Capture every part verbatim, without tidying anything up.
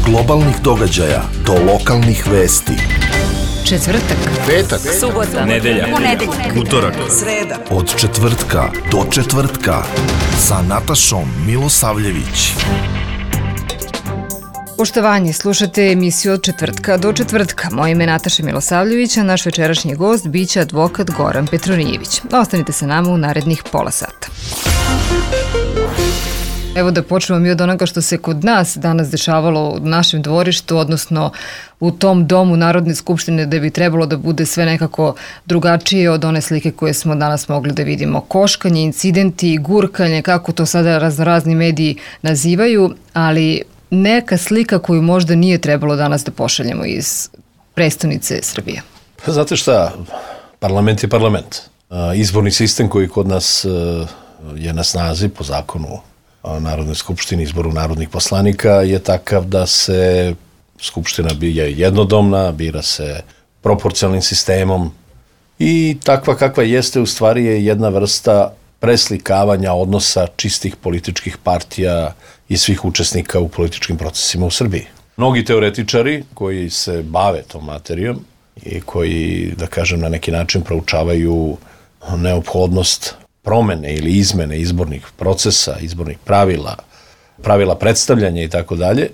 globalnih događaja do lokalnih vesti. Četvrtak, petak, subota, nedelja, ponedeljak, utorak, sreda. Od četvrtka do četvrtka sa Natašom Milosavljević. Poštovanje, slušate emisiju Od četvrtka do četvrtka. Moje ime je Nataša Milosavljević, a naš večerašnji gost biće advokat Goran Petronijević. Ostanite sa nama u narednih pola sata. Evo da počnemo mi od onoga što se kod nas danas dešavalo u našem dvorištu, odnosno u tom domu Narodne skupštine, da bi trebalo da bude sve nekako drugačije od one slike koje smo danas mogli da vidimo. Koškanje, incidenti, gurkanje, kako to sada raznorazni mediji nazivaju, ali neka slika koju možda nije trebalo danas da pošaljemo iz prestonice Srbije. Znate šta, parlament je parlament. Izborni sistem koji kod nas je na snazi po zakonu o Narodnoj skupštini, izboru narodnih poslanika, je takav da se skupština je jednodomna, bira se proporcionalnim sistemom i takva kakva jeste u stvari je jedna vrsta preslikavanja odnosa čistih političkih partija i svih učesnika u političkim procesima u Srbiji. Mnogi teoretičari koji se bave tom materijom i koji, da kažem, na neki način proučavaju neophodnost promene ili izmene izbornih procesa, izbornih pravila, pravila predstavljanja i tako dalje,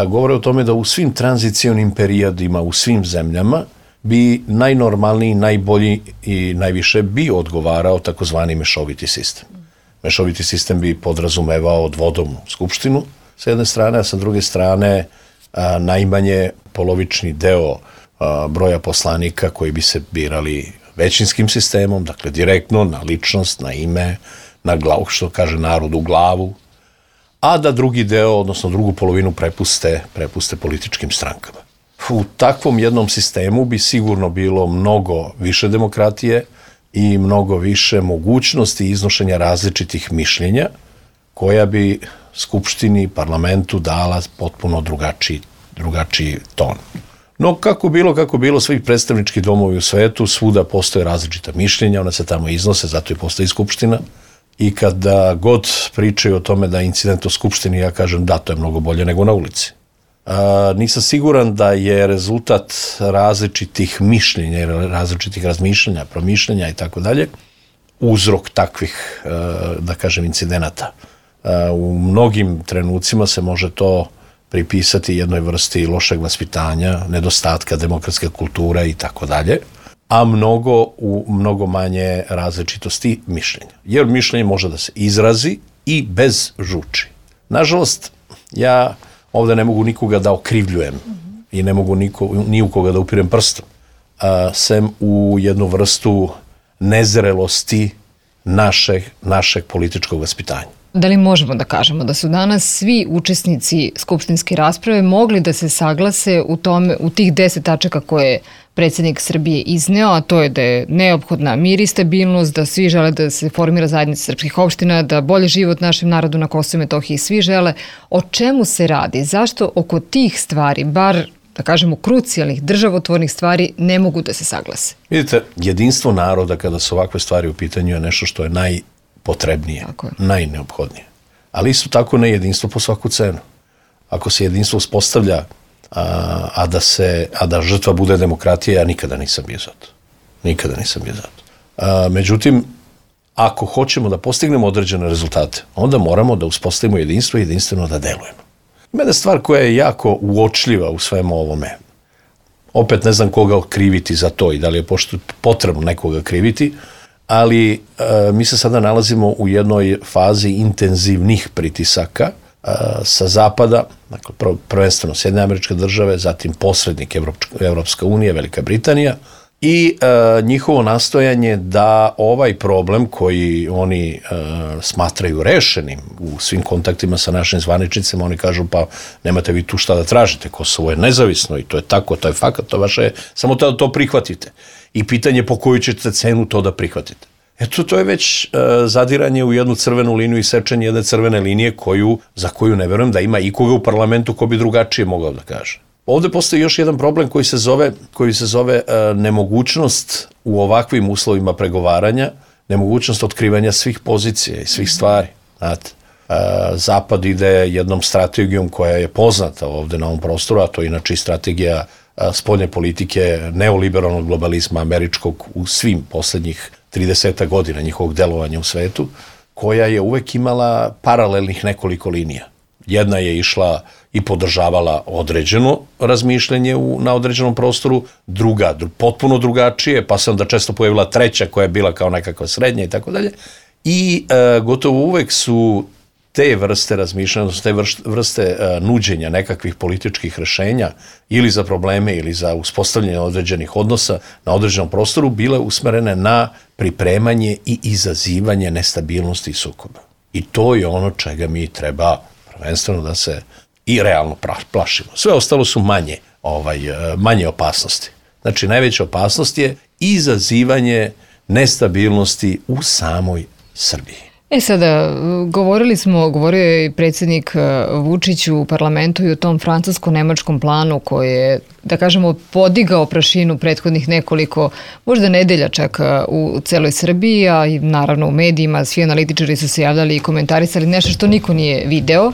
govore o tome da u svim tranzicionim periodima, u svim zemljama, bi najnormalniji, najbolji i najviše bi odgovarao takozvani mešoviti sistem. Mešoviti sistem bi podrazumevao dvodomnu skupštinu sa jedne strane, a sa druge strane a, najmanje polovični deo a, broja poslanika koji bi se birali većinskim sistemom, dakle direktno na ličnost, na ime, na glavu, što kaže narod, u glavu, a da drugi deo, odnosno drugu polovinu prepuste, prepuste političkim strankama. U takvom jednom sistemu bi sigurno bilo mnogo više demokratije i mnogo više mogućnosti iznošenja različitih mišljenja, koja bi Skupštini, parlamentu dala potpuno drugačiji, drugačiji ton. No, kako bilo, kako bilo, svi predstavnički domovi u svetu, svuda postoje različita mišljenja, ona se tamo iznose, zato i postoji Skupština. I kada god pričaju o tome da je incident u Skupštini, ja kažem da, to je mnogo bolje nego na ulici. A, nisam siguran da je rezultat različitih mišljenja, različitih razmišljanja, promišljenja i tako dalje, uzrok takvih, da kažem, incidenata. A, u mnogim trenucima se može to pripisati jednoj vrsti lošeg vaspitanja, nedostatka demokratske kulture i tako dalje, a mnogo u mnogo manje različitosti mišljenja. Jer mišljenje može da se izrazi i bez žuči. Nažalost, ja ovde ne mogu nikoga da okrivljujem i ne mogu niko, ni u koga da upirem prstom, a, sem u jednu vrstu nezrelosti našeg, našeg političkog vaspitanja. Da li možemo da kažemo da su danas svi učesnici skupštinske rasprave mogli da se saglase u, tome, u tih deset tačaka koje je predsjednik Srbije izneo, a to je da je neophodna mir i stabilnost, da svi žele da se formira zajednica srpskih opština, da bolje život našem narodu na Kosovu i Metohiji svi žele. O čemu se radi? Zašto oko tih stvari, bar da kažemo krucijalnih, državotvornih stvari, ne mogu da se saglase? Vidite, jedinstvo naroda kada su ovakve stvari u pitanju je nešto što je naj potrebnije, najneophodnije. Ali isto tako ne jedinstvo po svaku cenu. Ako se jedinstvo uspostavlja, a, a, da se, a da žrtva bude demokratija, ja nikada nisam bio za to. Nikada nisam bio za to. A, međutim, ako hoćemo da postignemo određene rezultate, onda moramo da uspostavimo jedinstvo i jedinstveno da delujemo. Ima jedna stvar koja je jako uočljiva u svemu ovome. Opet ne znam koga kriviti za to i da li je potrebno nekoga kriviti, ali e, mi se sada nalazimo u jednoj fazi intenzivnih pritisaka e, sa zapada, dakle prv, prvenstveno Sjedinjene Američke Države, zatim posrednik Evropska unija, Velika Britanija i e, njihovo nastojanje da ovaj problem koji oni e, smatraju rešenim u svim kontaktima sa našim zvaničnicima, oni kažu pa nemate vi tu šta da tražite, Kosovo je nezavisno i to je tako, to je fakat, to vaše, samo to, to prihvatite. I pitanje po koju ćete cenu to da prihvatite. Eto, to je već e, zadiranje u jednu crvenu liniju i sečenje jedne crvene linije koju, za koju ne verujem da ima ikoga u parlamentu ko bi drugačije mogao da kaže. Ovde postoji još jedan problem koji se zove, koji se zove e, nemogućnost u ovakvim uslovima pregovaranja, nemogućnost otkrivanja svih pozicija i svih stvari. Znate, Zapad ide jednom strategijom koja je poznata ovde na ovom prostoru, a to je inače i strategija spoljne politike neoliberalnog globalizma američkog u svim poslednjih trideset godina njihovog delovanja u svetu, koja je uvek imala paralelnih nekoliko linija. Jedna je išla i podržavala određeno razmišljanje u, na određenom prostoru, druga dru, potpuno drugačije, pa se onda često pojavila treća koja je bila kao nekakva srednja i tako dalje. I e, gotovo uvek su te vrste razmišljanja, te vrste e, nuđenja nekakvih političkih rešenja ili za probleme ili za uspostavljanje određenih odnosa na određenom prostoru bile usmerene na pripremanje i izazivanje nestabilnosti i sukoba. I to je ono čega mi treba prvenstveno da se i realno plašimo. Sve ostalo su manje, ovaj, manje opasnosti. Znači, najveća opasnost je izazivanje nestabilnosti u samoj Srbiji. E sada, govorili smo, govorio je i predsjednik Vučić u parlamentu i o tom francusko-nemačkom planu koji je, da kažemo, podigao prašinu prethodnih nekoliko, možda nedelja čak u celoj Srbiji, a i naravno u medijima, svi analitičari su se javljali i komentarisali nešto što niko nije video,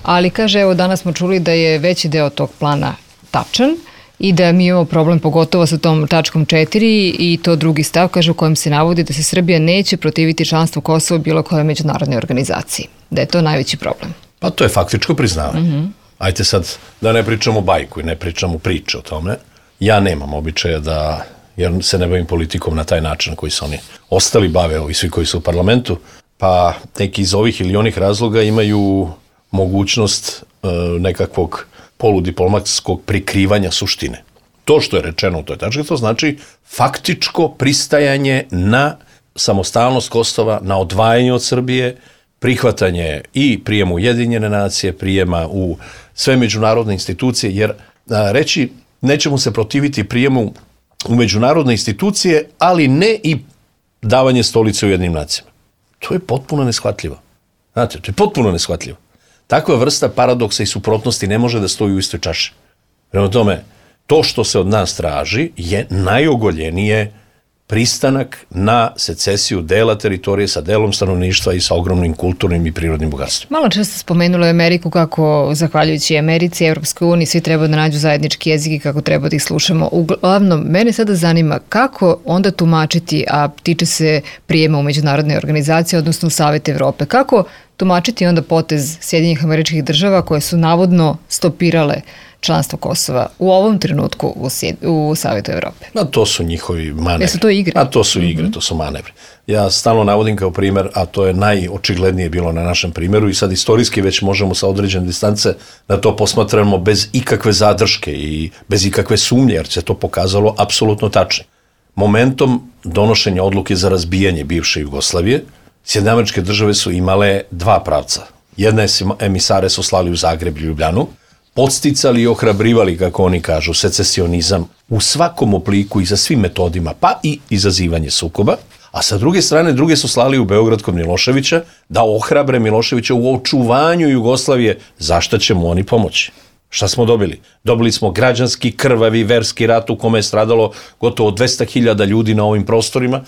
ali kaže, evo danas smo čuli da je veći deo tog plana tačan i da mi imamo problem pogotovo sa tom tačkom četiri i to drugi stav, kaže, u kojem se navodi da se Srbija neće protiviti članstvu Kosova u bilo kojoj međunarodnoj organizaciji. Da je to najveći problem. Pa to je faktičko priznavanje. Mm-hmm. Ajde sad da ne pričamo bajku i ne pričamo priče o tome. Ja nemam običaja da, jer se ne bavim politikom na taj način na koji su oni ostali bave, ovi svi koji su u parlamentu, pa neki iz ovih ili onih razloga imaju mogućnost e, nekakvog poludiplomatskog prikrivanja suštine. To što je rečeno u toj tački, to znači faktičko pristajanje na samostalnost Kosova, na odvajanje od Srbije, prihvatanje i prijema Ujedinjene nacije, prijema u sve međunarodne institucije, jer a, reći nećemo se protiviti prijemu u međunarodne institucije, ali ne i davanje stolice Ujedinjenim nacijama. To je potpuno neshvatljivo. Znate, to je potpuno neshvatljivo. Takva vrsta paradoksa i suprotnosti ne može da stoji u istoj čaši. Prema tome, to što se od nas traži je najogoljenije pristanak na secesiju dela teritorije sa delom stanovništva i sa ogromnim kulturnim i prirodnim bogatstvom. Malo često spomenula je Ameriku kako, zahvaljujući Americi, Evropskoj uniji, svi treba da nađu zajednički jezik i kako treba da ih slušamo. Uglavnom, mene sada zanima kako onda tumačiti, a tiče se prijema u međunarodne organizacije, odnosno u Savet Evrope, kako tumačiti onda potez Sjedinjenih Američkih Država koje su navodno stopirale članstvo Kosova u ovom trenutku u, sjed, u Savetu Evrope? A to su njihovi manevri. Jesu to igre? A to su igre, mm-hmm. to su manevri. Ja stalno navodim kao primer, a to je najočiglednije bilo na našem primjeru i sad istorijski već možemo sa određene distance da to posmatramo bez ikakve zadrške i bez ikakve sumnje, jer se to pokazalo apsolutno tačno. Momentom donošenja odluke za razbijanje bivše Jugoslavije, Sjedinjene Američke Države su imale dva pravca. Jedna emisare su slali u Zagreb i Ljubljanu, podsticali i ohrabrivali, kako oni kažu, secesionizam u svakom obliku i za svim metodima, pa i izazivanje sukoba, a sa druge strane, druge su slali u Beograd kod Miloševića da ohrabre Miloševića u očuvanju Jugoslavije, zašta će mu oni pomoći. Šta smo dobili? Dobili smo građanski, krvavi, verski rat u kome je stradalo gotovo dvesta hiljada ljudi na ovim prostorima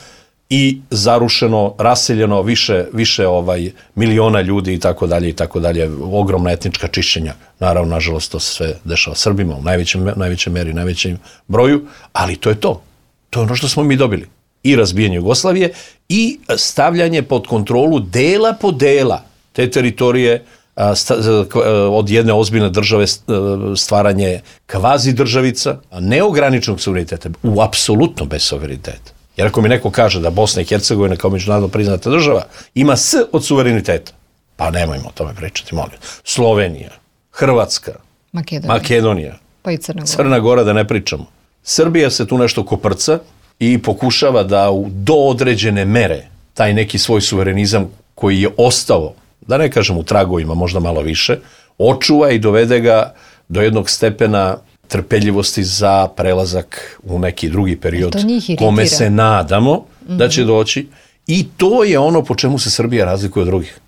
i zarušeno, raseljeno više, više ovaj miliona ljudi i tako dalje i tako dalje, ogromna etnička čišćenja. Naravno, nažalost, to se sve dešava Srbima u najvećem, najvećem meri, najvećem broju, ali to je to. To je ono što smo mi dobili. I razbijanje Jugoslavije i stavljanje pod kontrolu dela po dela te teritorije od jedne ozbiljne države, stvaranje kvazi državica, neograničenog suvereniteta, u apsolutno bez suvereniteta. Jer ako mi neko kaže da Bosna i Hercegovina kao međunarodno priznata država ima S od suvereniteta, pa nemojmo o tome pričati, molim. Slovenija, Hrvatska, Makedonija, Makedonija pa i Crna Gora. Crna Gora da ne pričamo. Srbija se tu nešto koprca i pokušava da u do određene mere taj neki svoj suverenizam koji je ostao, da ne kažem u tragovima, možda malo više, očuva i dovede ga do jednog stepena trpeljivosti za prelazak u neki drugi period kome se nadamo mm-hmm. da će doći i to je ono po čemu se Srbija razlikuje od drugih.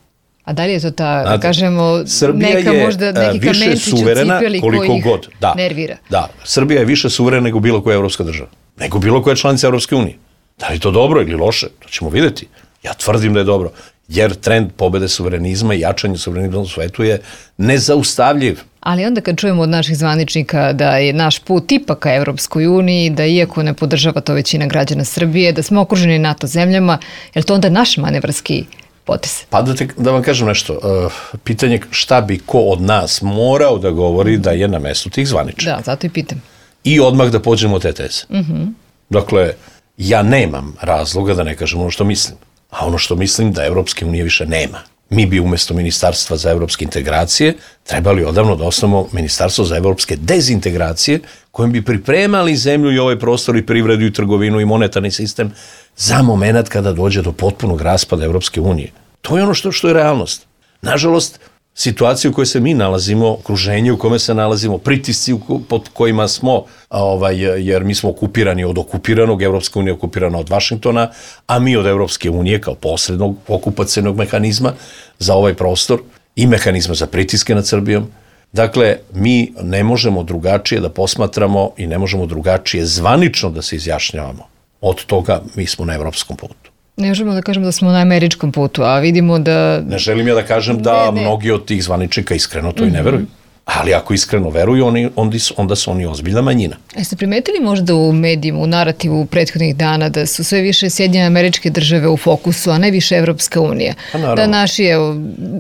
A da li je to ta, Znate, kažemo, Srbija neka je možda neki kamenčić u cipeli koji ih god. Da, nervira? Da, Srbija je više suverena nego bilo koja evropska država, nego bilo koja članica Evropske unije. Da li je to dobro ili loše, to ćemo vidjeti. Ja tvrdim da je dobro. jer trend pobede suverenizma i jačanje suverenizma u svetu je nezaustavljiv. Ali onda kad čujemo od naših zvaničnika da je naš put ipak ka Evropskoj uniji, da iako ne podržava to većina građana Srbije, da smo okruženi NATO zemljama, je li to onda naš manevarski potez? Pa da, te, da vam kažem nešto, uh, pitanje šta bi ko od nas morao da govori da je na mestu tih zvaničnika. Da, zato i pitam. I odmah da pođemo od te teze. Mm-hmm. Dakle, ja nemam razloga da ne kažem ono što mislim. A ono što mislim da Evropske unije više nema. Mi bi umjesto Ministarstva za evropske integracije trebali odavno da osnovimo Ministarstvo za evropske dezintegracije kojim bi pripremali zemlju i ovaj prostor i privredu i trgovinu i monetarni sistem za moment kada dođe do potpunog raspada Evropske unije. To je ono što, što je realnost. Nažalost, situacija u kojoj se mi nalazimo, okruženje u kome se nalazimo, pritisci pod kojima smo, ovaj, jer mi smo okupirani od okupiranog, Evropska unija je okupirana od Vašingtona, a mi od Evropske unije kao posrednog okupacionog mehanizma za ovaj prostor i mehanizma za pritiske nad Srbijom. Dakle, mi ne možemo drugačije da posmatramo i ne možemo drugačije zvanično da se izjašnjavamo. Od toga mi smo na evropskom putu. Ne možemo da kažemo da smo na američkom putu, a vidimo da... Ne želim ja da kažem da ne, ne. mnogi od tih zvaničnika iskreno to mm-hmm. i ne veruju. Ali ako iskreno veruju, oni, onda su oni ozbiljna manjina. Jeste primetili možda u medijima, u narativu prethodnih dana da su sve više Sjedinjene Američke Države u fokusu, a ne više Evropska unija? Da naši, evo,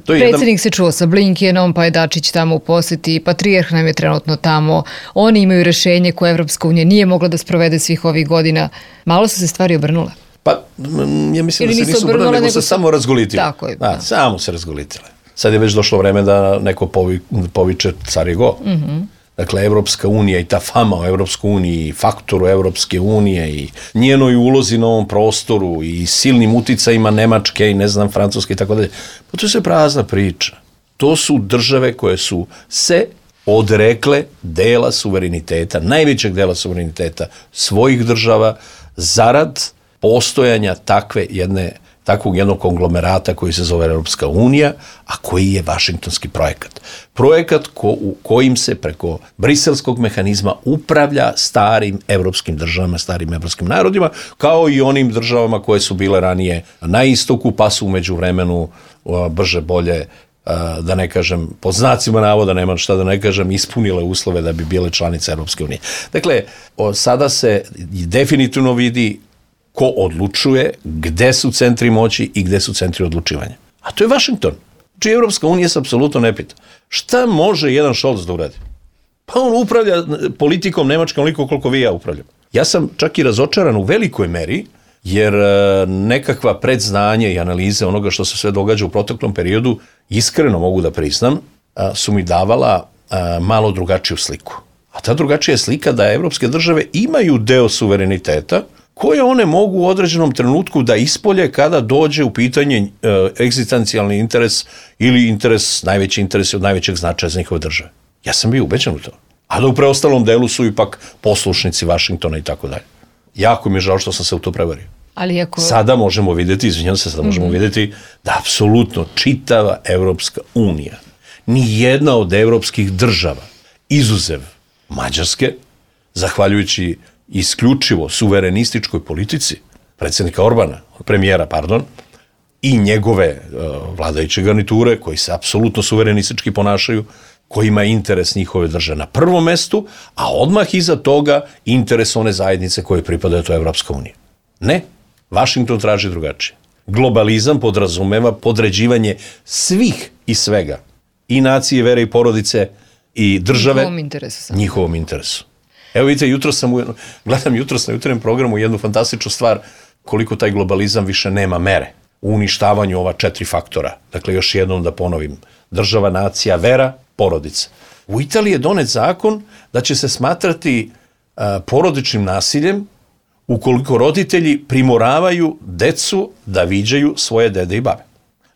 predsjednik jedan... se čuo sa Blinkenom, pa je Dačić tamo u poseti, patrijarh nam je trenutno tamo, oni imaju rešenje koje Evropska unija nije mogla da sprovede svih ovih godina. Malo su se stvari obrnule. Pa, ja mislim Ili da se nisu obrnule, nego, nego se samo razgolitile. Tako je. Da, da. Samo se razgolitile. Sad je već došlo vreme da neko povi, poviče car je go. Mm-hmm. Dakle, Evropska unija i ta fama o Evropskoj uniji, faktoru Evropske unije i njenoj ulozi na ovom prostoru i silnim uticajima Nemačke i ne znam, Francuske i tako dalje. Pa to je sve prazna priča. To su države koje su se odrekle dela suvereniteta, najvećeg dela suvereniteta svojih država zarad postojanja takve jedne, takvog jednog konglomerata koji se zove Europska unija, a koji je vašingtonski projekat. Projekat ko, u kojim se preko briselskog mehanizma upravlja starim evropskim državama, starim evropskim narodima, kao i onim državama koje su bile ranije na istoku, pa su u međuvremenu brže bolje, da ne kažem, pod znacima navoda, nema šta da ne kažem, ispunile uslove da bi bile članice Europske unije. Dakle, sada se definitivno vidi ko odlučuje, gde su centri moći i gde su centri odlučivanja. A to je Vašington. Znači, Evropska unija se apsolutno ne pita. Šta može jedan Scholz da uradi? Pa on upravlja politikom Nemačkom onoliko koliko vi ja upravljam. Ja sam čak i razočaran u velikoj meri, jer nekakva predznanje i analize onoga što se sve događa u proteklom periodu, iskreno mogu da priznam, su mi davala malo drugačiju sliku. A ta drugačija slika da evropske države imaju deo suvereniteta koje one mogu u određenom trenutku da ispolje kada dođe u pitanje e, egzistencijalni interes ili interes, najveći interes od najvećeg značaja za njihove države. Ja sam bio ubeđen u to. A da u preostalom delu su ipak poslušnici Vašingtona i tako dalje. Jako mi je žao što sam se u to prevario. Ali ako... Sada možemo vidjeti, izvinjam se, sada možemo mm-hmm. vidjeti da apsolutno čitava Evropska unija, ni jedna od evropskih država, izuzev Mađarske, zahvaljujući isključivo suverenističkoj politici predsjednika Orbana, premijera, pardon, i njegove uh, vladajuće garniture, koji se apsolutno suverenistički ponašaju, koji ima interes njihove države na prvom mestu, a odmah iza toga interes one zajednice koje pripadaju to Evropska unija. Ne, Vašington traži drugačije. Globalizam podrazumeva podređivanje svih i svega, i nacije, vere i porodice, i države, njihovom interesu. Njihovom interesu. Evo vidite, jutro sam u, gledam jutro na jutarnjem programu jednu fantastičnu stvar, koliko taj globalizam više nema mere u uništavanju ova četiri faktora. Dakle, još jednom da ponovim. Država, nacija, vera, porodica. U Italiji je donet zakon da će se smatrati uh, porodičnim nasiljem ukoliko roditelji primoravaju decu da viđaju svoje dede i babe.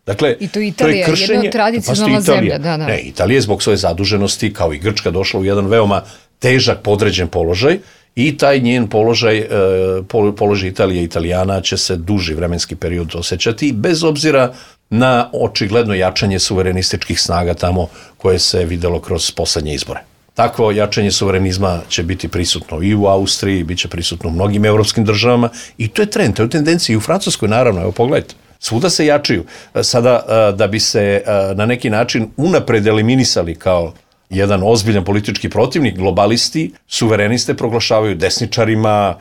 Dakle, i to Italija, to je kršenje, jedna od tradicionalna zemlja. Da, da. Ne, Italija je zbog svoje zaduženosti, kao i Grčka, došla u jedan veoma težak podređen položaj i taj njen položaj, položaj Italije i Italijana će se duži vremenski period osjećati, bez obzira na očigledno jačanje suverenističkih snaga tamo koje se videlo kroz poslednje izbore. Takvo jačanje suverenizma će biti prisutno i u Austriji, bit će prisutno u mnogim evropskim državama i to je trend, to je tendencija i u Francuskoj, naravno, evo pogledajte. Svuda se jačaju. Sada, da bi se na neki način unapred eliminisali kao jedan ozbiljan politički protivnik, globalisti, suvereniste proglašavaju desničarima,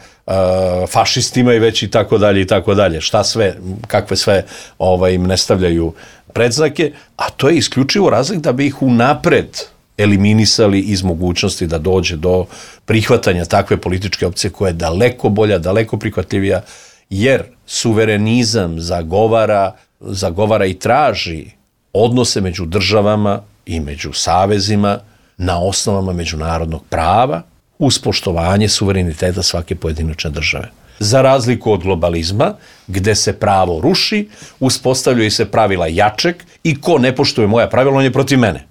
fašistima i već i tako dalje i tako dalje. Šta sve, kakve sve ovaj, im ne stavljaju predznake, a to je isključivo razlog da bi ih unapred eliminisali iz mogućnosti da dođe do prihvatanja takve političke opcije koja je daleko bolja, daleko prihvatljivija, jer suverenizam zagovara, zagovara i traži odnose među državama i među savezima na osnovama međunarodnog prava uz poštovanje suvereniteta svake pojedinačne države. Za razliku od globalizma, gde se pravo ruši, uspostavljaju se pravila jačeg i ko ne poštuje moja pravila, on je protiv mene.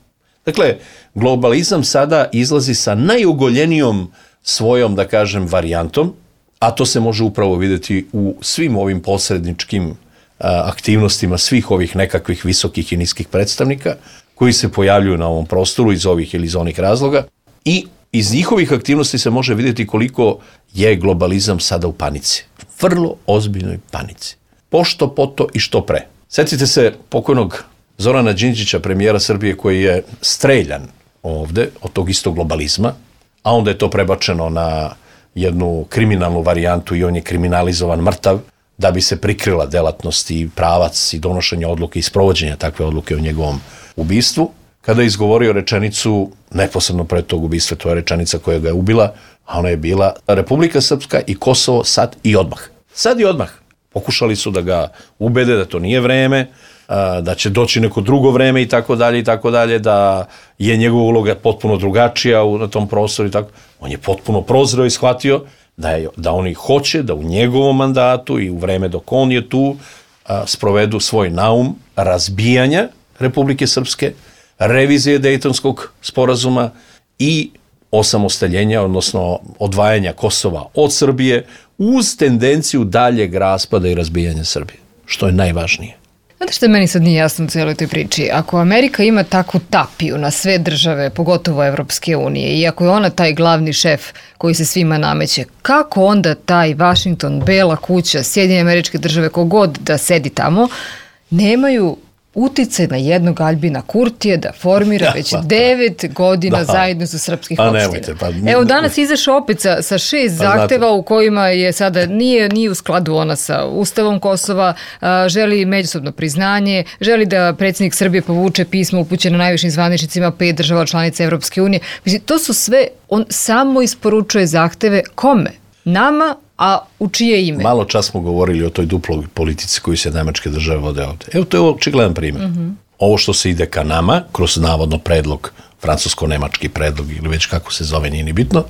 Dakle, globalizam sada izlazi sa najugoljenijom svojom, da kažem, varijantom, a to se može upravo vidjeti u svim ovim posredničkim aktivnostima svih ovih nekakvih visokih i niskih predstavnika koji se pojavljuju na ovom prostoru iz ovih ili iz onih razloga i iz njihovih aktivnosti se može vidjeti koliko je globalizam sada u panici. Vrlo ozbiljnoj panici. Pošto, poto i što pre. Sjetite se pokojnog Zorana Đinđića, premijera Srbije, koji je streljan ovde od tog istog globalizma, a onda je to prebačeno na jednu kriminalnu varijantu i on je kriminalizovan mrtav da bi se prikrila delatnost i pravac i donošenje odluke i sprovođenja takve odluke o njegovom ubistvu. Kada je izgovorio rečenicu neposredno pred tog ubistva, to je rečenica koja ga je ubila, a ona je bila Republika Srpska i Kosovo sad i odmah. Sad i odmah. Pokušali su da ga ubede da to nije vreme, da će doći neko drugo vreme i tako dalje i tako dalje, da je njegova uloga potpuno drugačija na tom prostoru i tako. On je potpuno prozreo i shvatio da, je, da oni hoće da u njegovom mandatu i u vreme dok on je tu a, sprovedu svoj naum razbijanja Republike Srpske, revizije Dejtonskog sporazuma i osamostaljenja, odnosno odvajanja Kosova od Srbije uz tendenciju daljeg raspada i razbijanja Srbije, što je najvažnije. Znate što meni sad nije jasno u cijeloj toj priči? Ako Amerika ima takvu tapiju na sve države, pogotovo Evropske unije, i ako je ona taj glavni šef koji se svima nameće, kako onda taj Washington, Bela kuća, Sjedinjene Američke Države, kogod da sedi tamo, nemaju uticaj na jednog Albina Kurtija da formira ja, već pa, devet godina da. zajednicu srpskih pa, opština. Nemojte, pa, Evo danas izašao opet sa, sa šest pa, zahteva znate. u kojima je sada nije, nije u skladu ona sa Ustavom Kosova, a, želi međusobno priznanje, želi da predsjednik Srbije povuče pismo upućeno najvišim zvaničnicima pet država članica Evropske unije. Mislim, to su sve, on samo isporučuje zahteve kome? Nama, a u čije ime? Malo čas smo govorili o toj duploj politici koju se nemačke države vode ovde. Evo, to je očigledan primjer. Mm-hmm. Ovo što se ide ka nama, kroz navodno predlog, francusko-nemački predlog ili već kako se zove, nije ni bitno,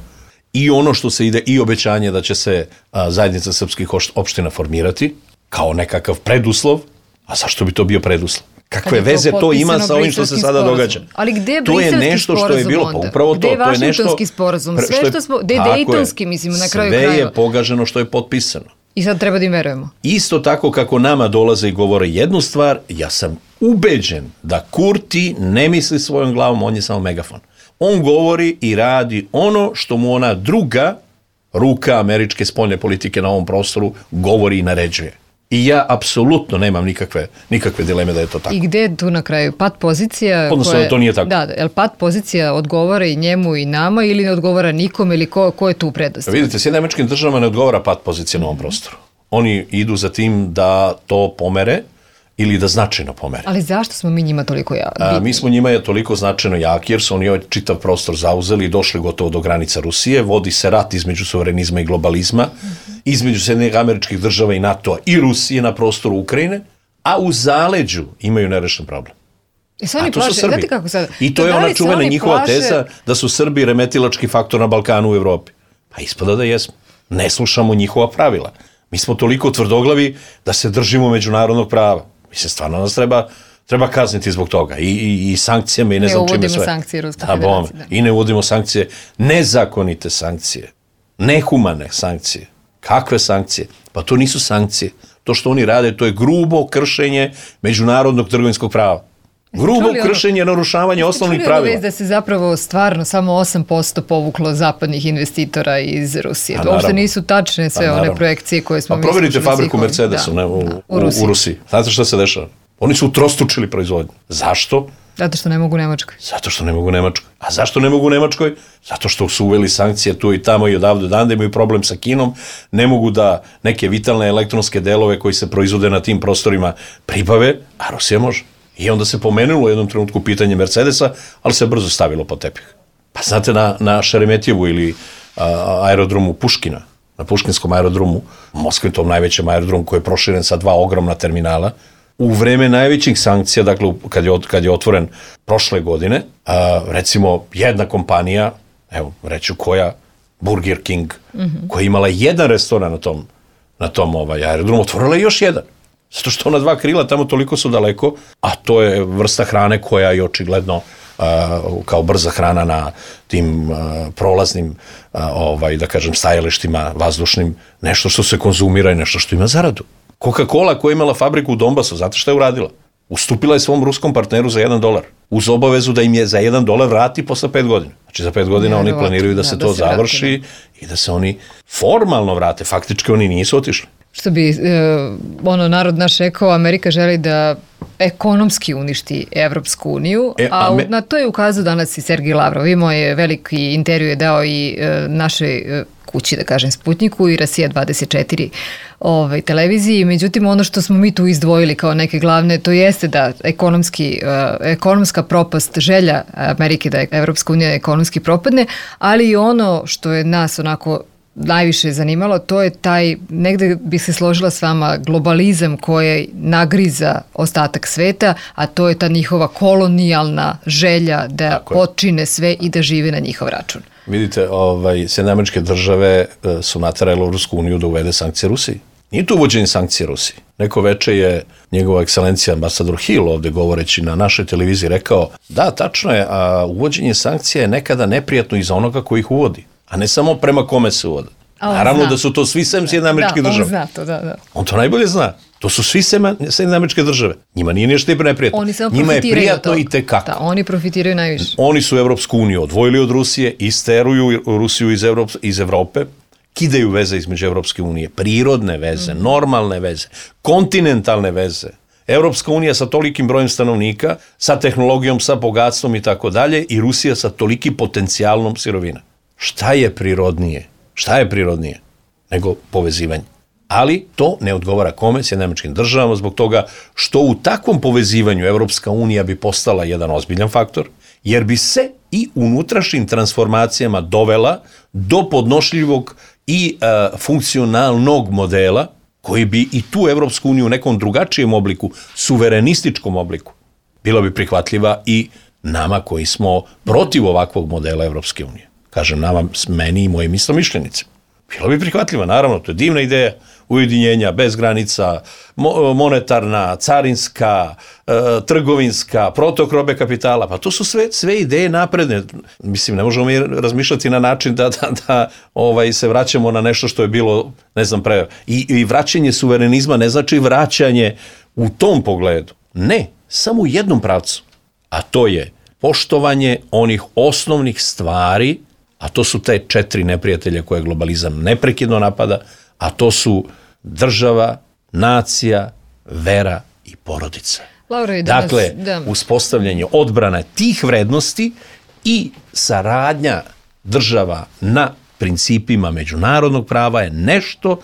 i ono što se ide i obećanje da će se a, zajednica srpskih opština formirati kao nekakav preduslov, a zašto bi to bio preduslov? Kakve veze to ima sa ovim što se sada sporazum. događa? Ali gde je to je nešto što je bilo, pa upravo to, gde je to je nešto sporazum, sve što, što smo, gde je Dejtonski, mislimo, na kraju krajeva. Sve je pogaženo što je potpisano. I sad treba da im verujemo. Isto tako kako nama dolaze i govore jednu stvar, ja sam ubeđen da Kurti ne misli svojom glavom, on je samo megafon. On govori i radi ono što mu ona druga ruka američke spoljne politike na ovom prostoru govori i naređuje. I ja apsolutno nemam nikakve, nikakve dileme da je to tako. I gde je tu na kraju? Pad pozicija? Odnosno, koje, to nije tako. Da, jel pad pozicija odgovara i njemu i nama ili ne odgovara nikom ili ko, ko je tu prednost? Vidite, Sjedinjenim Američkim Državama ne odgovara pad pozicije na ovom prostoru. Oni idu za tim da to pomere ili da značajno pomere. Ali zašto smo mi njima toliko jaki? Mi smo njima je toliko značajno jaki jer su oni ovaj čitav prostor zauzeli i došli gotovo do granica Rusije. Vodi se rat između suverenizma i globalizma, mm-hmm. između Sjedinjenih Američkih Država i NATO-a i Rusije na prostoru Ukrajine, a u zaleđu imaju nerešen problem. I se oni plaše, znate kako sad? I to je ona čuvena njihova plaše... teza da su Srbi remetilački faktor na Balkanu u Evropi. Pa ispada da jesmo. Ne slušamo njihova pravila. Mi smo toliko tvrdoglavi da se držimo međunarodnog prava. Mislim, stvarno nas treba, treba kazniti zbog toga. I, i, i sankcijama i ne, ne znam čime sve. Ne uvodimo sankcije Ruske federacije. Da. I ne uvodimo sankcije, nezakonite sankcije, nehumane sankcije. Kakve sankcije? Pa to nisu sankcije. To što oni rade, to je grubo kršenje međunarodnog trgovinskog prava. Grubo kršenje, narušavanje osnovnih pravila. Čuli ono već da se zapravo stvarno samo osam posto povuklo zapadnih investitora iz Rusije. To uopšte nisu tačne sve one projekcije koje smo mi slušali. Pa proverite fabriku Mercedesa da, u, da, u, Rusiji. u Rusiji. Znate šta se dešava? Oni su utrostručili proizvodnju. Zašto? Zato što ne mogu u Nemačkoj. Zato što ne mogu u Nemačkoj. A zašto ne mogu u Nemačkoj? Zato što su uveli sankcije tu i tamo i odavde dande, imaju problem sa Kinom, ne mogu da neke vitalne elektronske delove koji se proizvode na tim prostorima pribave, a Rusija može. I onda se pomenulo u jednom trenutku pitanje Mercedesa, ali se brzo stavilo pod tepih. Pa znate, na, na Šeremetjevu ili a, aerodromu Puškina, na Puškinskom aerodromu, u Moskvi, tom najvećem aerodromu koji je proširen sa dva ogromna terminala, u vreme najvećih sankcija, dakle kad je, kad je otvoren prošle godine, a, recimo jedna kompanija, evo reću koja, Burger King, mm-hmm. koja je imala jedan restoran na tom, na tom ovaj, aerodromu, otvorila je još jedan. Zato što ona dva krila tamo toliko su daleko, a to je vrsta hrane koja je očigledno uh, kao brza hrana na tim uh, prolaznim, uh, ovaj, da kažem, stajalištima vazdušnim, nešto što se konzumira i nešto što ima zaradu. Coca-Cola koja je imala fabriku u Donbasu, znate šta je uradila? Ustupila je svom ruskom partneru za jedan dolar, uz obavezu da im je za jedan dolar vrati posle pet godina. Znači za pet godina ne, oni planiraju da se da, to da se završi vrati, da. I da se oni formalno vrate, faktički oni nisu otišli. Što bi, e, ono, narod naš rekao, Amerika želi da ekonomski uništi Evropsku uniju, e, a, a me... na to je ukazao danas i Sergij Lavrov. Imao je veliki intervju, je dao i e, našoj e, kući, da kažem, Sputniku i Rasija dvadeset četiri ovaj, televiziji. Međutim, ono što smo mi tu izdvojili kao neke glavne, to jeste da ekonomski, e, ekonomska propast, želja Amerike da Evropska unija ekonomski propadne, ali i ono što je nas onako najviše zanimalo, to je taj, negde bi se složila s vama, globalizam koji nagriza ostatak sveta, a to je ta njihova kolonijalna želja da počine sve i da žive na njihov račun. Vidite, ovaj, Sjedinjene Američke Države su naterale Evropsku uniju da uvede sankcije Rusiji. Nije to uvođenje sankcije Rusiji. Neko veče je njegova ekscelencija ambasador Hill ovde govoreći na našoj televiziji rekao, da, tačno je, a uvođenje sankcija je nekada neprijatno i za onoga koji ih uvodi. A ne samo prema kome se uvode. Naravno zna. Da su to svi sem Sjedinjenih Američkih Država. Da, on zna to, da, da. On to najbolje zna. To su svi sem Sjedinjene Američke Države. Njima nije ništa neprijatno. Oni samo Njima profitiraju je prijatno to. I tekako. Da, oni profitiraju najviše. Oni su Evropsku uniju odvojili od Rusije, isteruju Rusiju iz, Evrop, iz Evrope, kidaju veze između Evropske unije, prirodne veze, mm. normalne veze, kontinentalne veze. Evropska unija sa tolikim brojem stanovnika, sa tehnologijom, sa bogatstvom i tako dalje, i Rusija sa tolikim potencijalnom sirovina. Šta je prirodnije? Šta je prirodnije nego povezivanje? Ali to ne odgovara kome? Sjedinjenim Američkim Državama, zbog toga što u takvom povezivanju Evropska unija bi postala jedan ozbiljan faktor, jer bi se i unutrašnjim transformacijama dovela do podnošljivog i e, funkcionalnog modela koji bi i tu Evropsku uniju u nekom drugačijem obliku, suverenističkom obliku, bila bi prihvatljiva i nama koji smo protiv ovakvog modela Evropske unije. Kažem, nama, meni i mojim istomišljenici. Bila bi prihvatljiva, naravno, to je divna ideja ujedinjenja bez granica, monetarna, carinska, e, trgovinska, protok robe kapitala, pa to su sve, sve ideje napredne. Mislim, ne možemo mi razmišljati na način da, da, da ovaj, se vraćamo na nešto što je bilo, ne znam, pre... I, i vraćanje suverenizma ne znači vraćanje u tom pogledu. Ne, samo u jednom pravcu, a to je poštovanje onih osnovnih stvari, a to su te četiri neprijatelje koje globalizam neprekidno napada, a to su država, nacija, vera i porodica. Laura, danas, dakle, da. uspostavljanje odbrane tih vrednosti i saradnja država na principima međunarodnog prava je nešto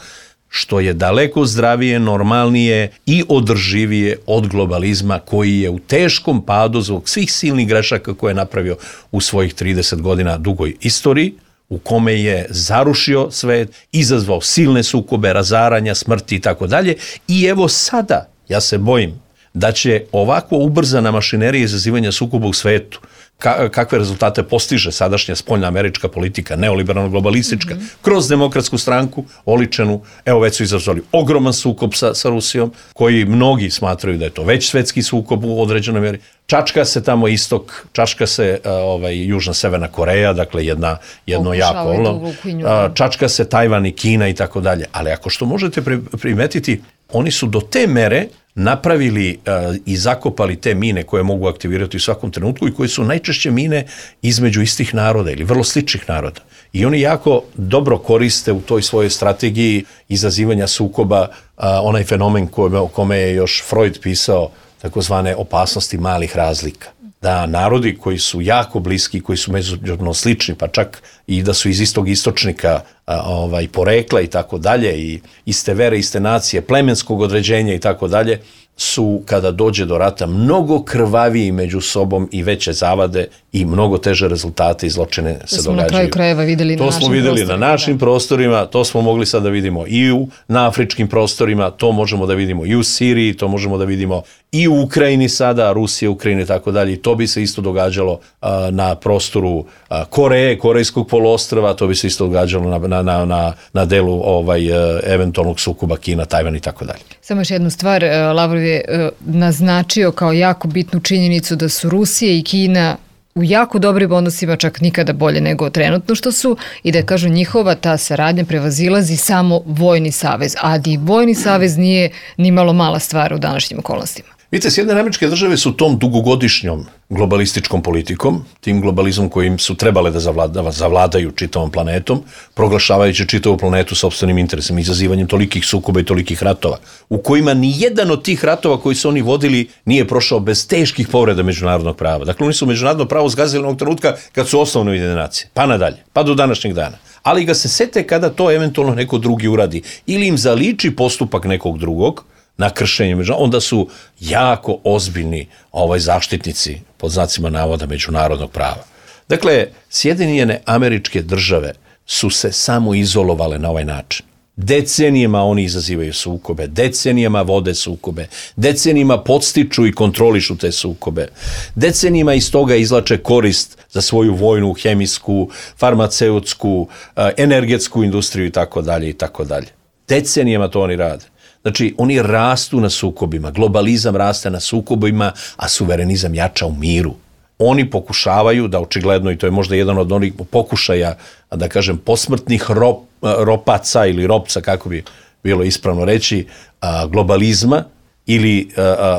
što je daleko zdravije, normalnije i održivije od globalizma koji je u teškom padu zbog svih silnih grešaka koje je napravio u svojih trideset godina dugoj istoriji, u kome je zarušio svet, izazvao silne sukobe, razaranja, smrti i tako dalje. I evo sada, ja se bojim da će ovako ubrzana mašinerija izazivanja sukoba u svetu, ka- kakve rezultate postiže sadašnja spoljna američka politika, neoliberalno-globalistička, mm-hmm. kroz demokratsku stranku, oličenu, evo već su izazvali ogroman sukob sa, sa Rusijom, koji mnogi smatraju da je to već svetski sukob u određenoj mjeri. Čačka se tamo istok, čačka se uh, ovaj, Južna Severna Koreja, dakle jedna, jedno jako ono, čačka se Tajvan i Kina i tako dalje. Ali ako što možete primetiti, oni su do te mere napravili uh, i zakopali te mine koje mogu aktivirati u svakom trenutku i koje su najčešće mine između istih naroda ili vrlo sličnih naroda. I oni jako dobro koriste u toj svojoj strategiji izazivanja sukoba uh, onaj fenomen kome, o kome je još Freud pisao, takozvane opasnosti malih razlika. Da narodi koji su jako bliski, koji su međusobno slični, pa čak i da su iz istog istočnika a, ovaj, porekla i tako dalje, i iste vere, iste nacije, plemenskog određenja i tako dalje, su, kada dođe do rata, mnogo krvaviji među sobom i veće zavade i mnogo teže rezultate i zločine se događaju. To smo na kraju krajeva videli na našim prostorima. To smo videli na našim prostorima, to smo mogli sad da vidimo i u, na afričkim prostorima, to možemo da vidimo i u Siriji, to možemo da vidimo i u Ukrajini sada, Rusija, Ukrajina i tako dalje. I to bi se isto događalo a, na prostoru a, Koreje, Korejskog poluostrva, to bi se isto događalo na, na, na, na, na delu ovaj, a, eventualnog sukoba Kina, Tajvan i tako dalje. Samo još jednu stvar, Lavrov je naznačio kao jako bitnu činjenicu da su Rusija i Kina u jako dobrim odnosima, čak nikada bolje nego trenutno što su, i da kažu njihova ta saradnja prevazilazi samo vojni savez, a i vojni savez nije ni malo mala stvar u današnjim okolnostima. Vidite, Sjedinjene Američke Države su tom dugogodišnjom globalističkom politikom, tim globalizmom kojim su trebale da zavlada, zavladaju čitavom planetom, proglašavajući čitavu planetu sopstvenim interesima, izazivanjem tolikih sukoba i tolikih ratova, u kojima ni jedan od tih ratova koji su oni vodili nije prošao bez teških povreda međunarodnog prava. Dakle, oni su međunarodno pravo zgazili onog trenutka kad su osnovne Ujedinjene nacije, pa nadalje, pa do današnjeg dana. Ali ga se sete kada to eventualno neko drugi uradi ili im zaliči postupak nekog drugog na kršenje, onda su jako ozbiljni ovaj zaštitnici, pod znacima navoda, međunarodnog prava. Dakle, Sjedinjene Američke Države su se samo izolovale na ovaj način. Decenijama oni izazivaju sukobe, decenijama vode sukobe, decenijama podstiču i kontrolišu te sukobe, decenijama iz toga izlače korist za svoju vojnu, hemijsku, farmaceutsku, energetsku industriju i tako dalje i tako dalje. Decenijama to oni rade. Znači, oni rastu na sukobima, globalizam raste na sukobima, a suverenizam jača u miru. Oni pokušavaju da, očigledno, i to je možda jedan od onih pokušaja, da kažem, posmrtnih rop, ropaca ili ropca, kako bi bilo ispravno reći, globalizma ili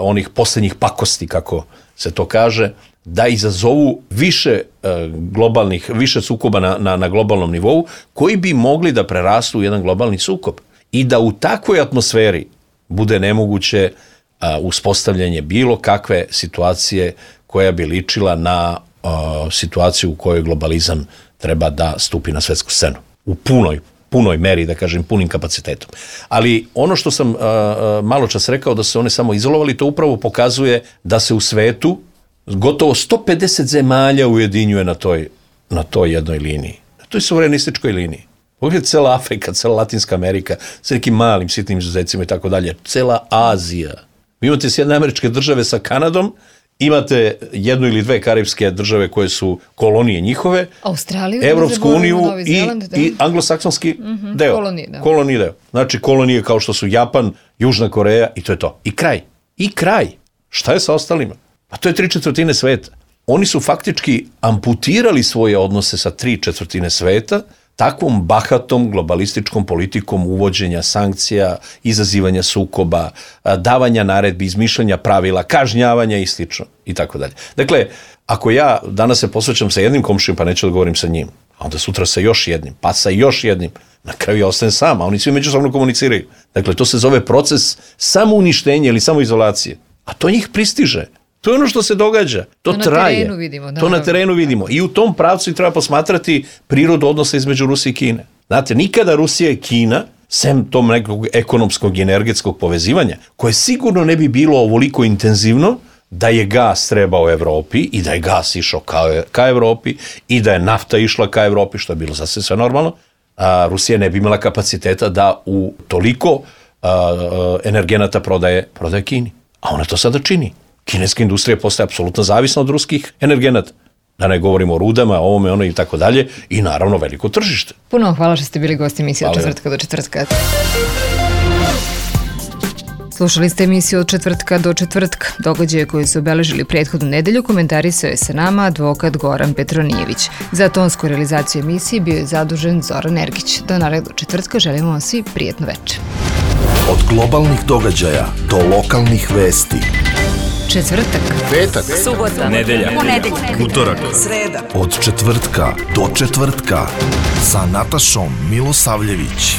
onih posljednjih pakosti, kako se to kaže, da izazovu više globalnih, više sukoba na, na, na globalnom nivou, koji bi mogli da prerastu u jedan globalni sukob. I da u takvoj atmosferi bude nemoguće a, uspostavljanje bilo kakve situacije koja bi ličila na a, situaciju u kojoj globalizam treba da stupi na svetsku scenu. U punoj, punoj meri, da kažem, punim kapacitetom. Ali ono što sam a, a, malo čas rekao da se one samo izolovali, to upravo pokazuje da se u svetu gotovo sto pedeset zemalja ujedinjuje na toj, na toj jednoj liniji. Na toj suverenističkoj liniji. Pogledajte, cela Afrika, cela Latinska Amerika, sa nekim malim, sitnim izuzecima i tako dalje, cela Azija. Vi imate Sjedinjene Američke Države sa Kanadom, imate jednu ili dve karibske države koje su kolonije njihove, Australiju, Evropsku uniju i, Zeland, i anglosaksonski mm-hmm, deo. Kolonije, da. Kolonije deo. Znači kolonije kao što su Japan, Južna Koreja i to je to. I kraj. I kraj. Šta je sa ostalima? Pa to je tri četvrtine sveta. Oni su faktički amputirali svoje odnose sa tri četvrtine sveta, takvom bahatom globalističkom politikom uvođenja sankcija, izazivanja sukoba, davanja naredbi, izmišljanja pravila, kažnjavanja i slično i tako dalje. Dakle, ako ja danas se posvećam sa jednim komšijom, pa neću da govorim sa njim, a onda sutra sa još jednim, pa sa još jednim, na kraju ja ostajem sam, a oni svi međusobno komuniciraju. Dakle, to se zove proces samouništenja ili samoizolacije, a to njih pristiže. To je ono što se događa. To, to traje. Na terenu vidimo, to na terenu vidimo. I u tom pravcu treba posmatrati prirodu odnosa između Rusije i Kine. Znate, nikada Rusija i Kina, sem tom nekog ekonomskog i energetskog povezivanja, koje sigurno ne bi bilo ovoliko intenzivno da je gas trebao Evropi i da je gas išao ka, ka Evropi i da je nafta išla ka Evropi, što je bilo sasvim sve normalno, a Rusija ne bi imala kapaciteta da u toliko a, a, energenata prodaje, prodaje Kini. A ona to sada čini. Kineska industrija postaje apsolutno zavisna od ruskih energenata. Da ne govorimo o rudama, ovome, ono i tako dalje. I naravno veliko tržište. Puno hvala što ste bili gosti emisije od četvrtka do četvrtka. Slušali ste emisiju od četvrtka do četvrtka. Događaje koji su obeležili prethodnu nedelju komentarisao je sa nama advokat Goran Petronijević. Za tonsku realizaciju emisije bio je zadužen Zoran Ergić. Do narednog četvrtka želimo vam svi prijatno večer. Od globalnih događaja do lokalnih vesti. Četvrtak, Petak, subota, nedelja, ponedeljak, utorak, sreda. od četvrtka do četvrtka sa Natašom Milosavljević.